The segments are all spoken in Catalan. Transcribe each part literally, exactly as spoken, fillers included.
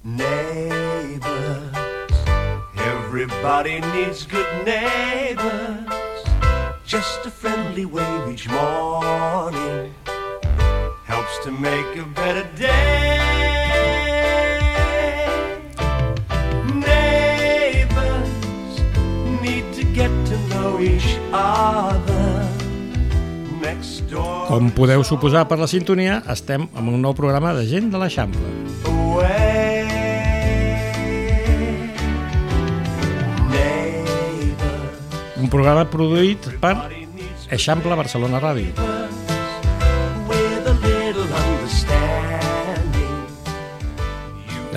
Neighbors, everybody needs good neighbors. Just a friendly wave each morning helps to make a better day. Neighbors need to get to know each other. Next door. Com podeu suposar per la sintonia, estem en un nou programa de gent de l'Eixample. Un programa produït per Eixample Barcelona Ràdio.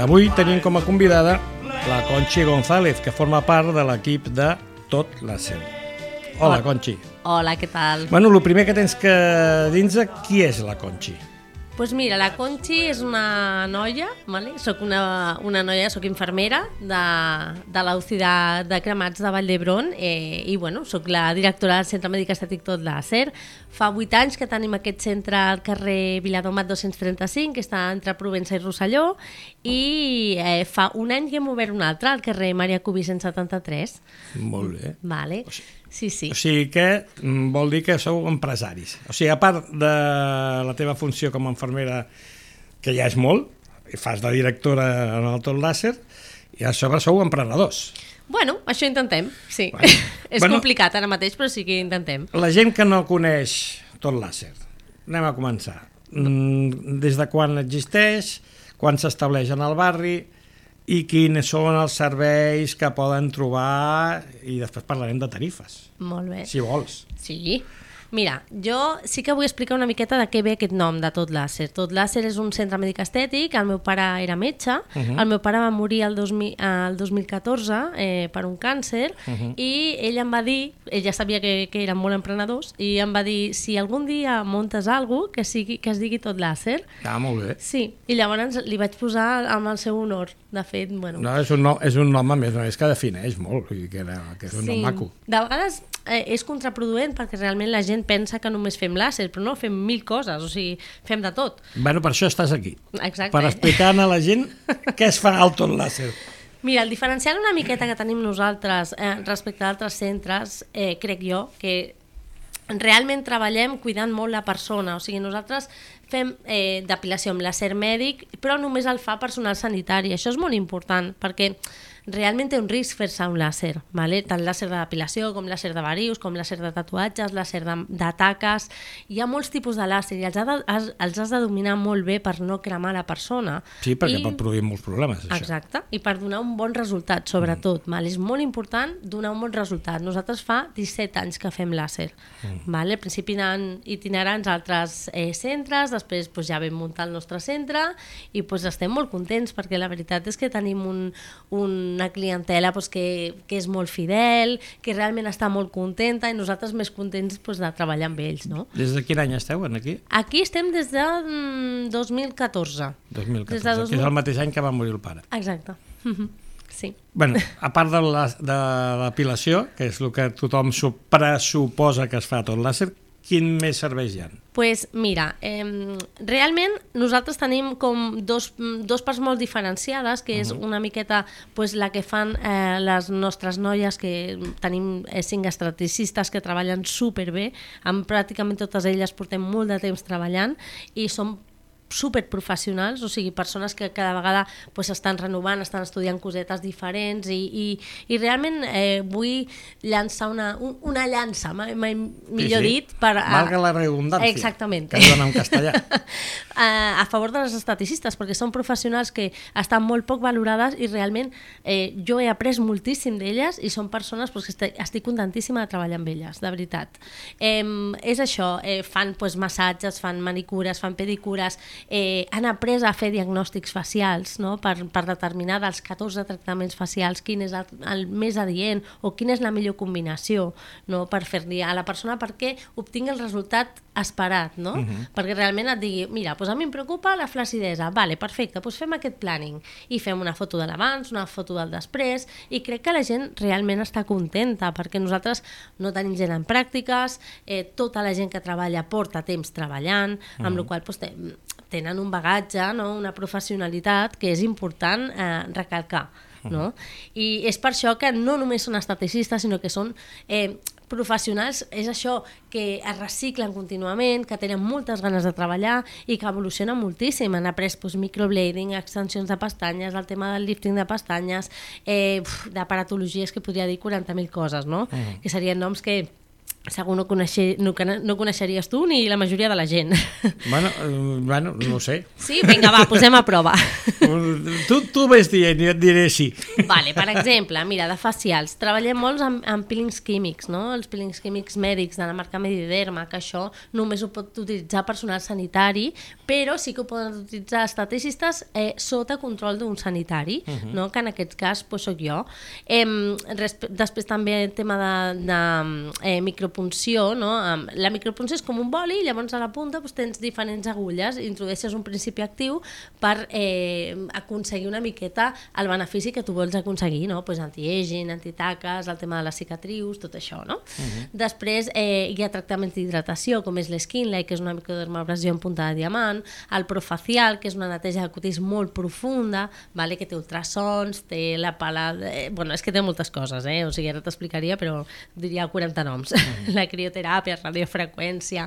Avui tenim com a convidada la Conchi González, que forma part de l'equip de Tot Làser. Hola, Conchi. Hola, què tal? Bueno, el primer que tens que dir-nos, qui és la Conchi? Doncs pues mira, la Conchi és una noia, vale? Soc una, una noia, soc infermera de, de l'U C I de, de Cremats de Vall d'Hebron eh, i bueno, soc la directora del Centre Mèdic Estètic Tot Làser. Fa vuit anys que tenim aquest centre al carrer Viladomat dos-cents trenta-cinc, que està entre Provença i Rosselló, i eh, fa un any que hem obert un altre, al carrer Maria Cubí cent setanta-tres. Molt bé. Vale. Sí, sí. O sigui que vol dir que sou empresaris. O sigui, a part de la teva funció com a infermera, que ja és molt, i fas de directora en el Tot Làser, i a sobre sou emprenedors. Bueno, això intentem, sí. Bueno, és bueno, complicat ara mateix, però sí que intentem. La gent que no coneix Tot Làser, anem a començar. Des de quan existeix, quan s'estableix en el barri, i quins són els serveis que poden trobar, i després parlarem de tarifes. Molt bé. Si vols. Sí. Mira, jo sí que vull explicar una miqueta de què ve aquest nom de Tot Làser. Tot Làser és un centre mèdic estètic, el meu pare era metge, uh -huh. el meu pare va morir el dos mil, el dos mil catorze eh, per un càncer, uh -huh. i ell em va dir, ell ja sabia que, que eren molt emprenedors, i em va dir, si algun dia muntes alguna cosa, que, sigui, que es digui Tot Làser. Ah, molt bé. Sí, i llavors li vaig posar amb el seu honor. De fet, bueno... No, és un nom, és un nom a més, no, és que defineix molt, vull dir que, era, que és un sí. nom maco. De vegades eh, és contraproduent perquè realment la gent pensa que només fem làser, però no, fem mil coses, o sigui, fem de tot. Bueno, per això estàs aquí. Exacte. Per explicar a la gent què es fa al Tot Làser. Mira, el diferencial una miqueta que tenim nosaltres eh, respecte a altres centres, eh, crec jo, que realment treballem cuidant molt la persona, o sigui, nosaltres fem eh, depilació amb làser mèdic, però només el fa personal sanitari. Això és molt important, perquè realment té un risc fer-se un làser, vale? Tant làser de depilació com làser de varius, com làser de tatuatges, làser de, de taques. Hi ha molts tipus de làser i els, ha de, has, els has de dominar molt bé per no cremar la persona. Sí, perquè I, pot produir molts problemes, això. Exacte, i per donar un bon resultat, sobretot. Mm. Vale? És molt important donar un bon resultat. Nosaltres fa disset anys que fem làser. Mm. Vale? Al principi anaven itinerants a altres eh, centres, després pues, ja vam muntar el nostre centre i pues, estem molt contents perquè la veritat és que tenim un, un una clientela pues, que, que és molt fidel, que realment està molt contenta i nosaltres més contents pues, de treballar amb ells. No? Des de quin any esteu aquí? Aquí estem des de mm, dos mil catorze. dos mil catorze, de dos mil... que és el mateix any que va morir el pare. Exacte. Sí. Bueno, a part de la, de la depilació, que és el que tothom pressuposa que es fa a Tot Làser, quin més serveis hi ha? Pues mira, eh, realment nosaltres tenim com dos, dos parts molt diferenciades, que és una miqueta pues, la que fan eh, les nostres noies, que tenim eh, cinc esteticistes que treballen superbé, amb pràcticament totes elles portem molt de temps treballant i som superprofessionals, o sigui, persones que cada vegada pues, estan renovant, estan estudiant cosetes diferents i, i, i realment eh, vull llançar una, una llança, mai, mai, millor sí, sí. dit, per... A... Valga la redundància, exactament. que es dona en castellà. a, a favor de les esteticistes, perquè són professionals que estan molt poc valorades i realment eh, jo he après moltíssim d'elles i són persones pues, que estic, estic contentíssima de treballar amb elles, de veritat. Eh, és això, eh, fan pues, massatges, fan manicures, fan pedicures, Eh, han après a fer diagnòstics facials, no? per, per determinar dels catorze tractaments facials quin és el, el més adient o quina és la millor combinació, no? Per fer-li a la persona perquè obtingui el resultat esperat, no? Uh-huh. Perquè realment et digui, mira, doncs a mi em preocupa la flacidesa, vale, perfecte, doncs fem aquest planning i fem una foto de l'abans, una foto del després, i crec que la gent realment està contenta, perquè nosaltres no tenim gent en pràctiques, eh, tota la gent que treballa porta temps treballant, amb uh-huh. la qual cosa doncs, tenen un bagatge, no? Una professionalitat que és important eh, recalcar. No? I és per això que no només són esteticistes, sinó que són eh, professionals, és això, que es reciclen contínuament, que tenen moltes ganes de treballar i que evolucionen moltíssim. Han après doncs, microblading, extensions de pestanyes, el tema del lifting de pestanyes, eh, d'aparatologies, que podria dir quaranta mil coses, no? Mm. Que serien noms que segur no, coneixer, no, no coneixeries tu ni la majoria de la gent. Bueno, eh, bueno no ho sé. Sí? Vinga, va, posem a prova. Tu, tu ves dient i et diré sí. Vale, per exemple, mira, de facials. Treballem molts amb, amb peelings químics, no? Els peelings químics mèdics de la marca Mediderma, que això només ho pot utilitzar personal sanitari, però sí que ho poden utilitzar esteticistes eh, sota control d'un sanitari, uh-huh. no? Que en aquest cas pues, soc jo. Eh, després també el tema de, de eh, micro punció, no? La micropunció és com un boli, llavors a la punta doncs, tens diferents agulles, introdueixes un principi actiu per eh, aconseguir una miqueta el benefici que tu vols aconseguir, no? Pues anti-aging, antitaques, el tema de les cicatrius, tot això, no? Uh-huh. Després eh, hi ha tractaments d'hidratació, com és l'Skinlight, que és una microdermabrasió en punta de diamant, el Profacial, que és una neteja de cutis molt profunda, vale? Que té ultrasons, té la pala... Eh, bueno, és que té moltes coses, eh? O sigui, ara t'explicaria, però diria quaranta noms. Uh-huh. La crioteràpia, radiofreqüència...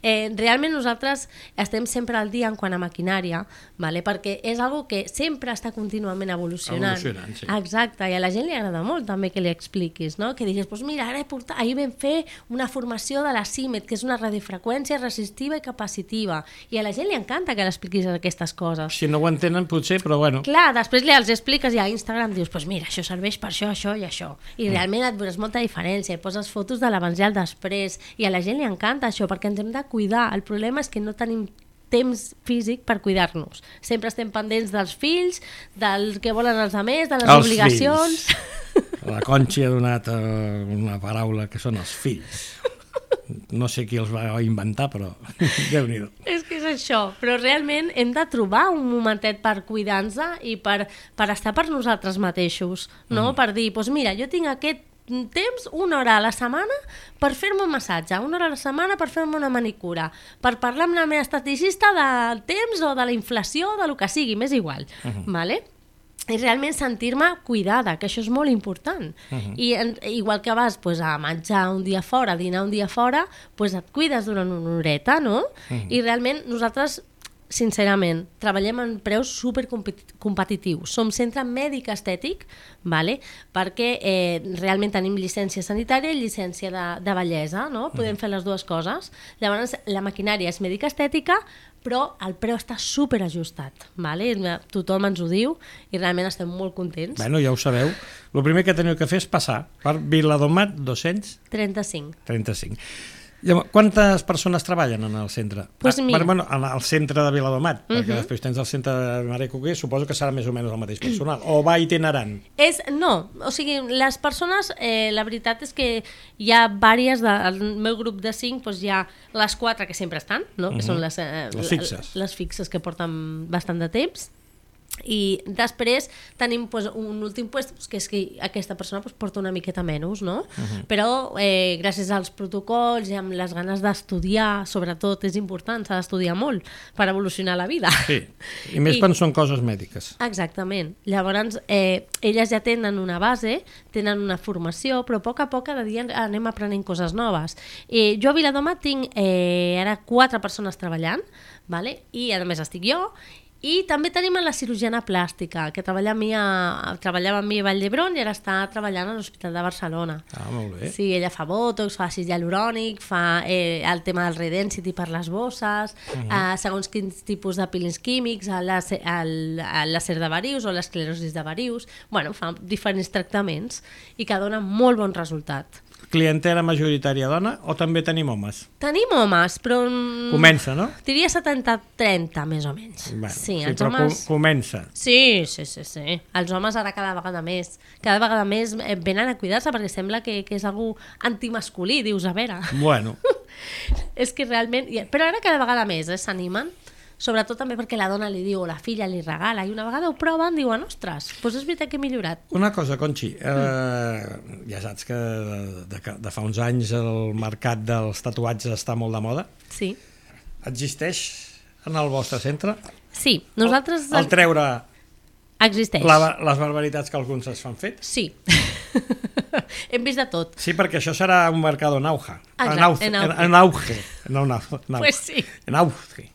Eh, realment nosaltres estem sempre al dia en quant a maquinària, vale? Perquè és algo que sempre està contínuament evolucionant. Evolucionant, sí. Exacte, i a la gent li agrada molt també que li expliquis, no? Que diguis, pues mira, ara he portat, ahir vam fer una formació de la CIMET, que és una radiofreqüència resistiva i capacitiva, i a la gent li encanta que l'expliquis aquestes coses. Si no ho entenen potser, però bueno. Clar, després li els expliques i a Instagram dius, pues mira, això serveix per això, això i això. I realment et veuràs molta diferència, i poses fotos de l'abans i el després, i a la gent li encanta això, perquè ens hem de cuidar. El problema és que no tenim temps físic per cuidar-nos. Sempre estem pendents dels fills, del que volen els altres, de les els obligacions... Fills. La Conchi ha donat uh, una paraula que són els fills. No sé qui els va inventar, però Déu-n'hi-do. És que és això, però realment hem de trobar un momentet per cuidar-nos i per, per estar per nosaltres mateixos, no? Mm. Per dir, doncs mira, jo tinc aquest temps, una hora a la setmana per fer-me un massatge, una hora a la setmana per fer-me una manicura, per parlar amb la meva esteticista del temps o de la inflació, de lo que sigui, m'és igual, uh-huh. Vale? I realment sentir-me cuidada, que això és molt important. Uh-huh. I en, igual que vas pues, a menjar un dia fora, a dinar un dia fora, pues, et cuides durant una horeta, no? Uh-huh. I realment nosaltres, sincerament, treballem en preus supercompetitius. Som centre mèdic estètic, vale? Perquè eh, realment tenim llicència sanitària i llicència de, de bellesa, no? Podem fer les dues coses. Llavors, la maquinària és mèdica estètica, però el preu està superajustat, vale? Tothom ens ho diu i realment estem molt contents. Bueno, ja ho sabeu. El primer que teniu que fer és passar per Viladomat dos-cents trenta-cinc. trenta-cinc. Llavors, quantes persones treballen en el centre? Pues ah, mira. Bueno, en el centre de Viladomat, uh-huh. Perquè després tens el centre de Mare Coquer, suposo que serà més o menys el mateix personal, o va itinerant? És, no, o sigui, les persones, eh, la veritat és que hi ha vàries, del meu grup de cinc, doncs hi ha les quatre que sempre estan, no? Que uh-huh. Són les, eh, les fixes. Les fixes que porten bastant de temps. I després tenim pues, un últim puesto, pues, que és que aquesta persona pues, porta una miqueta menys, no? Uh-huh. Però eh, gràcies als protocols i amb les ganes d'estudiar, sobretot és important, s'ha d'estudiar molt per evolucionar la vida. Sí, i més I, quan són coses mèdiques. Exactament. Llavors, eh, elles ja tenen una base, tenen una formació, però a poc a poc cada dia anem aprenent coses noves. Eh, jo a Viladomat tinc eh, ara quatre persones treballant, vale? I a més estic jo. I també tenim la cirurgiana plàstica, que treballa amb mi a, treballava amb mi a Vall d'Hebron i ara està treballant a l'Hospital de Barcelona. Ah, molt bé. Sí, ella fa botox, fa àcid hialurònic, fa eh, el tema del redensity per les bosses, uh-huh. eh, segons quins tipus de peelings químics, el, el, el làser de varius o l'esclerosi de varius. Bueno, fa diferents tractaments i que dona molt bon resultat. Clientela majoritària dona o també tenim homes? Tenim homes, però... Comença, no? Diria setanta trenta, més o menys. Bueno, sí, sí, els però homes... comença. Sí, sí, sí, sí. Els homes ara cada vegada més. Cada vegada més venen a cuidar-se perquè sembla que, que és algú antimasculí, dius, a veure. Bueno, és que realment... Però ara cada vegada més eh, s'animen, sobretot també perquè la dona li diu o la filla li regala, i una vegada ho proven, diuen, ostres, doncs és veritat que he millorat. Una cosa, Conxi, eh, ja saps que de, de, de fa uns anys el mercat dels tatuatges està molt de moda. Sí. Existeix en el vostre centre? Sí, nosaltres... El, el treure existeix. la, les barbaritats que alguns es fan fet? Sí. Hem vist de tot. Sí, perquè això serà un mercat en auge. Exacte, en auge. en auge. En, en auge. No, no, no. Pues sí. En auge.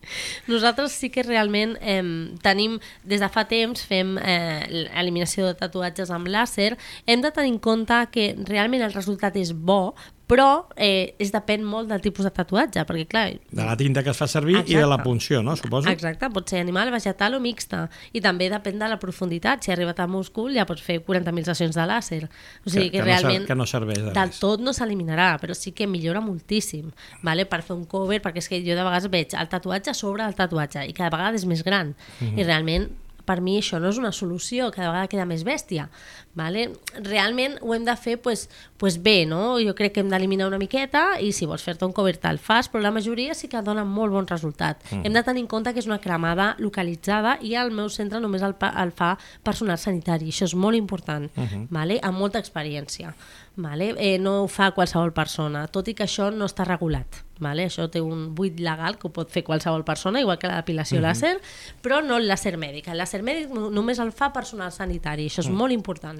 Nosaltres sí que realment eh, tenim, des de fa temps, fem eh, eliminació de tatuatges amb làser. Hem de tenir en compte que realment el resultat és bo, però eh, es depèn molt del tipus de tatuatge, perquè clar... De la tinta que es fa servir. Exacte. I de la punció, no? Suposo. Exacte, pot ser animal, vegetal o mixta, i també depèn de la profunditat. Si ha arribat a múscul ja pots fer quaranta mil sessions de làser. O sigui que, que, que realment no, que no serveix de del res. tot no s'eliminarà, però sí que millora moltíssim, vale? Per fer un cover, perquè és que jo de vegades veig el tatuatge sobre el tatuatge i cada vegada és més gran, mm-hmm. i realment per mi això no és una solució, cada vegada queda més bèstia. Vale? Realment ho hem de fer pues, pues bé, no? Jo crec que hem d'eliminar una miqueta i si vols fer-te un cover te'l fas, però la majoria sí que dona molt bon resultat. Mm. Hem de tenir en compte que és una cremada localitzada i al meu centre només el, el fa personal sanitari, això és molt important, mm-hmm. vale? Amb molta experiència. Vale? Eh, no ho fa qualsevol persona, tot i que això no està regulat. Vale? Això té un buit legal que ho pot fer qualsevol persona, igual que la depilació mm-hmm. làser, però no el làser mèdic. El làser mèdic només el fa personal sanitari, això és mm. molt important.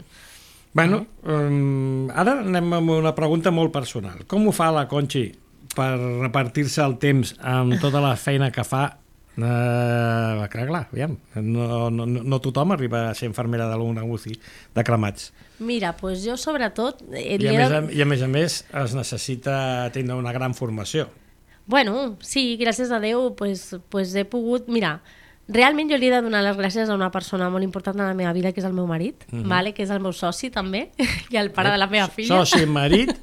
Bueno, um, ara anem amb una pregunta molt personal. Com ho fa la Conxi per repartir-se el temps amb tota la feina que fa? Uh, clar, clar, aviam, no, no, no tothom arriba a ser infermera de l'una U C I de cremats. Mira, doncs jo sobretot... Eh, I, a més a, I a més a més es necessita tindre una gran formació. Bueno, sí, gràcies a Déu pues, pues he pogut... Mira, realment jo li he de donar les gràcies a una persona molt important en la meva vida, que és el meu marit, mm-hmm. vale? Que és el meu soci també, i el pare de la meva filla. Soci, marit,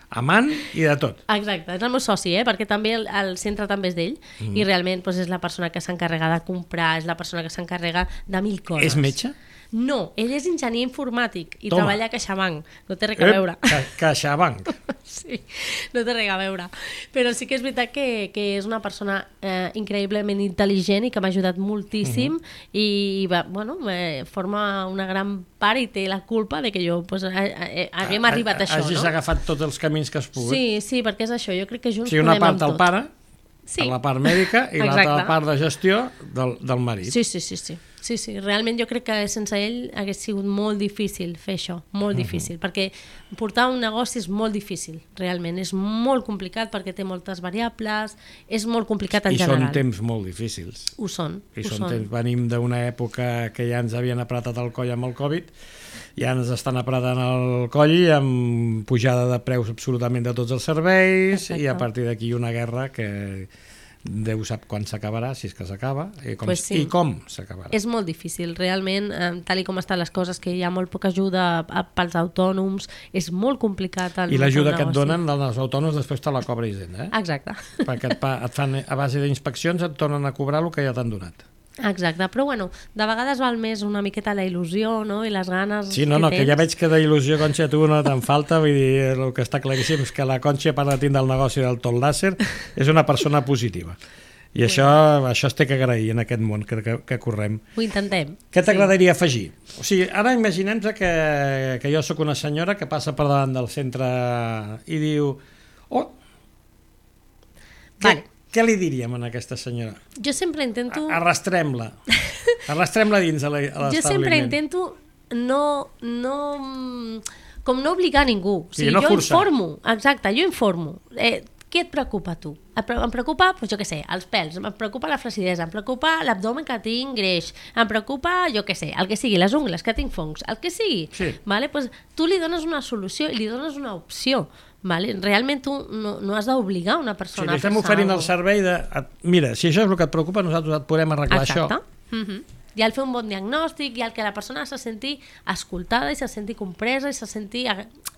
amant i de tot. Exacte, és el meu soci, eh? Perquè també el, el centre també és d'ell, mm. i realment pues, és la persona que s'encarrega de comprar, és la persona que s'encarrega de mil coses. És metge? No, ell és enginyer informàtic i Toma. treballa a CaixaBank, no té res a Ep, veure. Ca CaixaBank. Sí, no té res a veure. Però sí que és veritat que, que és una persona eh, increïblement intel·ligent i que m'ha ajudat moltíssim, uh-huh. i va, bueno, eh, forma una gran part i té la culpa de que jo pues, eh, eh, haguem a, arribat a això. Hagis no? agafat tots els camins que has pogut. Sí, sí, perquè és això, jo crec que junts o sigui, una podem part amb el tot. pare, sí. la part mèdica, i l'altra part de gestió del, del marit. Sí, sí, sí, sí. Sí, sí, realment jo crec que sense ell hagués sigut molt difícil fer això, molt uh-huh. difícil, perquè portar un negoci és molt difícil, realment, és molt complicat perquè té moltes variables, és molt complicat en I general. I són temps molt difícils. Ho són, I ho són són. temps, venim d'una època que ja ens havien apretat el coll amb el Covid, ja ens estan apretant el coll amb pujada de preus absolutament de tots els serveis. Exacte. I a partir d'aquí una guerra que Déu sap quan s'acabarà, si és que s'acaba, i com, pues sí. i com s'acabarà. És molt difícil, realment, eh, tal i com estan les coses, que hi ha molt poca ajuda a, pels autònoms, és molt complicat. El, I l'ajuda que et donen els autònoms després te la cobra Hisenda, eh? Exacte. Perquè et, et fan, a base d'inspeccions et tornen a cobrar el que ja t'han donat. Exacte, però bueno, de vegades val més una miqueta la il·lusió, no?, i les ganes sí, no, que no, tens. que ja veig que d'il·lusió, Conxa, a tu no te'n falta, vull dir, el que està claríssim és que la Conxa, a part de tindre el negoci del tot làser, és una persona positiva. I això, això es té que agrair en aquest món que, que, que correm. Ho intentem. Què t'agradaria sí. afegir? O sigui, ara imaginem que, que jo sóc una senyora que passa per davant del centre i diu... Oh, vale. Què, què li diríem a aquesta senyora? Jo sempre intento... Arrastrem-la. Arrastrem-la dins a l'establiment. Jo sempre intento no... no com no obligar a ningú. O sigui, sí, no jo forçar. informo. Exacte, jo informo. Eh, Què et preocupa a tu? Em preocupa, doncs jo què sé, els pèls, em preocupa la flacidesa, em preocupa l'abdomen que tinc greix, em preocupa, jo què sé, el que sigui, les ungles, que tinc fongs, el que sigui. Sí. Vale? Pues tu li dones una solució i li dones una opció. Vale? Realment tu no, no has d'obligar una persona sí, a fer-se. Sí, estem oferint el servei de... Mira, si això és el que et preocupa, nosaltres et podem arreglar. Exacte. Això. Mm-hmm. i el fer un bon diagnòstic i el que la persona se senti escoltada i se senti compresa i se senti,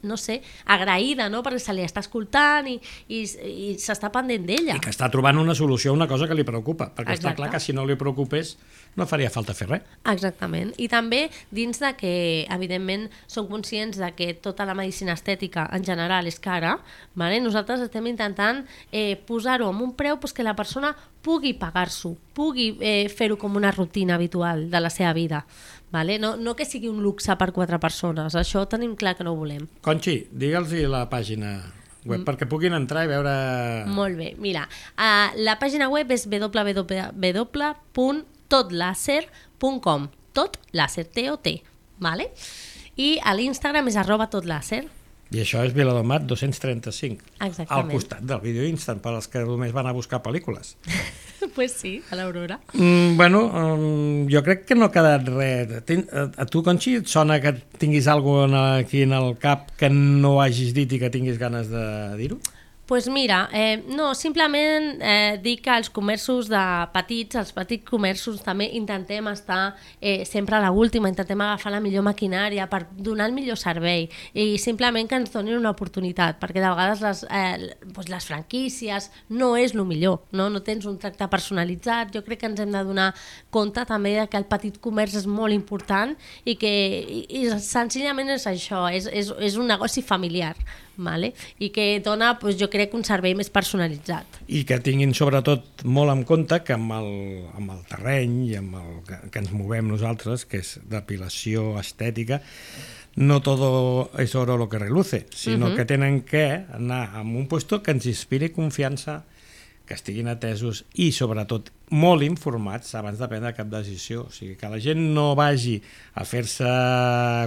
no sé, agraïda, no? Perquè se li està escoltant i, i, i s'està pendent d'ella. I que està trobant una solució a una cosa que li preocupa, perquè Exacte. Està clar que si no li preocupés no faria falta fer res. Exactament. I també dins de que, evidentment, som conscients de que tota la medicina estètica en general és cara, vale? Nosaltres estem intentant eh, posar-ho amb un preu pues, que la persona pugui pagar-s'ho, pugui eh, fer-ho com una rutina habitual de la seva vida. Vale? No, no que sigui un luxe per quatre persones, això tenim clar que no ho volem. Conxi, digue'ls la pàgina web, mm. perquè puguin entrar i veure... Molt bé, mira, uh, la pàgina web és w w w punt tot làser punt com, tot làser, T O T, vale? I a l'Instagram és arroba totlàser. I això és Viladomat dos-cents trenta-cinc. Exactament. Al costat del vídeo instant, per als que només van a buscar pel·lícules. Pues sí, a l'Aurora. Mm, bueno, um, jo crec que no ha quedat res. Ten, a, a tu, Conxi, et sona que tinguis alguna aquí en el cap que no hagis dit i que tinguis ganes de dir-ho? Pues mira, eh, no, simplement eh, dir que els comerços de petits, els petits comerços també intentem estar eh, sempre a l'última, intentem agafar la millor maquinària per donar el millor servei i simplement que ens donin una oportunitat, perquè de vegades les, eh, doncs les franquícies no és el millor, no? No tens un tracte personalitzat. Jo crec que ens hem de donar compte també que el petit comerç és molt important i que i, i senzillament és això, és, és, és un negoci familiar. Vale? I que dona, doncs, jo crec, un servei més personalitzat. I que tinguin sobretot molt en compte que amb el, amb el terreny i amb el que, que ens movem nosaltres, que és depilació estètica, no todo es oro lo que reluce, sinó uh-huh. que tenen que anar a un puesto que ens inspiri confiança, que estiguin atesos i, sobretot, molt informats abans de prendre cap decisió. O sigui, que la gent no vagi a fer-se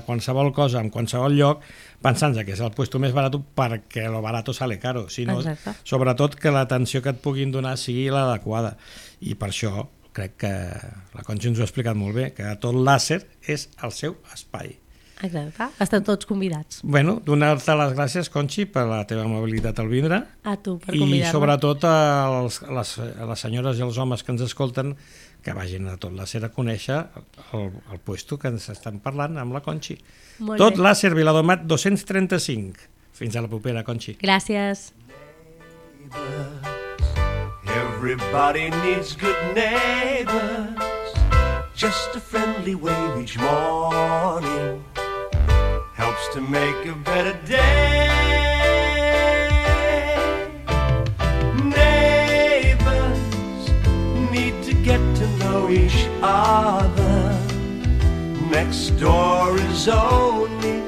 qualsevol cosa en qualsevol lloc pensant que és el puesto més barat perquè lo barato sale caro, sinó Exacte. Sobretot que l'atenció que et puguin donar sigui l'adequada. I per això crec que la Conxi ens ho ha explicat molt bé, que tot làser és el seu espai. Exacte, estan tots convidats. Bueno, donar-te les gràcies, Conxi, per la teva amabilitat al vindre. A tu, per convidar-me. I sobretot als, a, les, a les senyores i els homes que ens escolten que vagin a tot làser a conèixer el, el puesto que ens estan parlant amb la Conxi. Molt tot bé. Làser Viladomat dos-cents trenta-cinc. Fins a la propera, Conxi. Gràcies. Everybody needs good neighbors. Just a friendly wave each morning helps to make a better day. Neighbors need to get to know each other. Next door is only